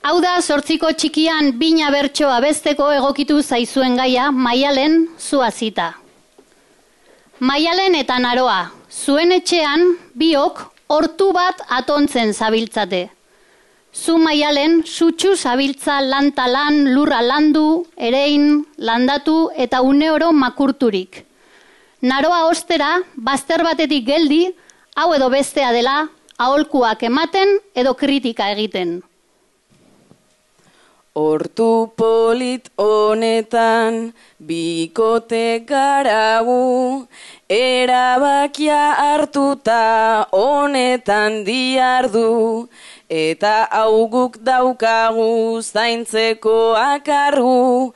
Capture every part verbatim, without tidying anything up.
Hau da, zortziko txikian bina bertso abesteko egokitu zaizuen gaia, Maialen zuazita. Maialen eta Naroa, zuen etxean biok hortu bat atontzen zabiltzate. Zu Maialen, sutsu zabiltza lanta lan, lurra landu, erein, landatu eta uneoro makurturik. Naroa ostera, bazter batetik geldi, hau edo bestea dela, aholkuak ematen edo kritika egiten. Hortu polit honetan, bikote garagu, erabakia hartuta honetan diardu, eta hau guk daukagu zaintzeko akargu,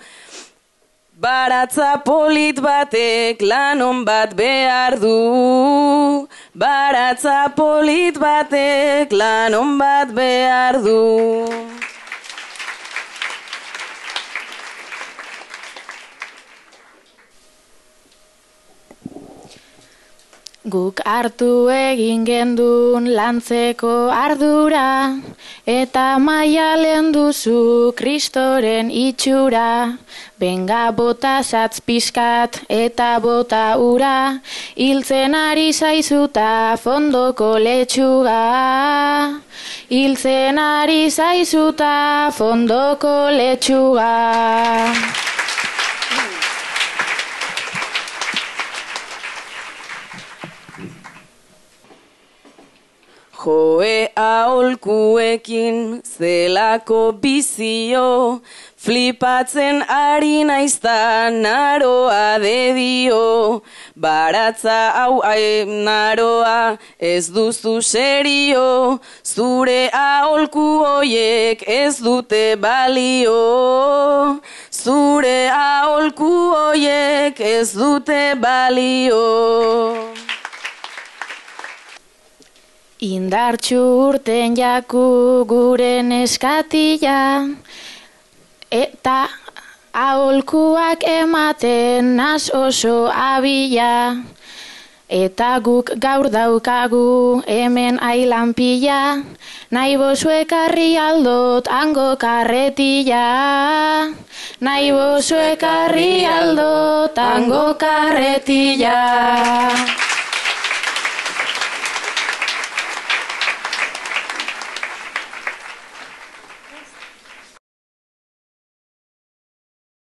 baratza polit batek lanon bat behar du, baratza polit batek lanon bat behar du. Guk hartu egin gendun lantzeko ardura, eta Maialen duzu Kristoren itxura. Benga bota satz pixkat eta bota ura, hiltzen ari zaizuta fondoko letxuga. Hiltzen ari zaizuta fondoko letxuga. Joe aholkuekin zelako bizio, flipatzen ari naizta Naroa dedio. Baratza hau Naroa ez duzu serio, zure aholku hoiek ez dute balio. Zure aholku hoiek ez dute balio. Indartxu urten jaku gure neskatila, eta aholkuak ematen naz oso abila. Eta guk gaur daukagu hemen ailan pila, nahi bozu ekarri aldot hango karretila. Nahi bozu ekarri aldot hango karretila.